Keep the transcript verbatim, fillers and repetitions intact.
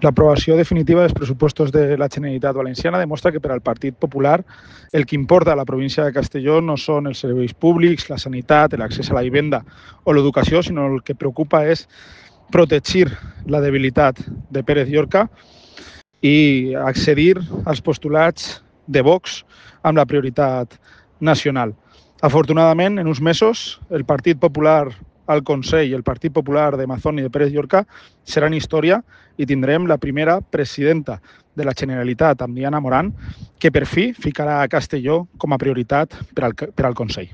L'aprovació definitiva dels pressupostos de la Generalitat Valenciana demostra que per al Partit Popular el que importa a la província de Castelló no són els serveis públics, la sanitat, l'accés a la vivenda o l'educació, sinó el que preocupa és protegir la debilitat de Pérez Llorca i accedir als postulats de Vox amb la prioritat nacional. Afortunadament, en uns mesos, el Partit Popular al Consell i el Partit Popular de Mazón i de Pérez Llorca seran història i tindrem la primera presidenta de la Generalitat, amb Diana Morant, que per fi ficarà a Castelló com a prioritat per al, per al Consell.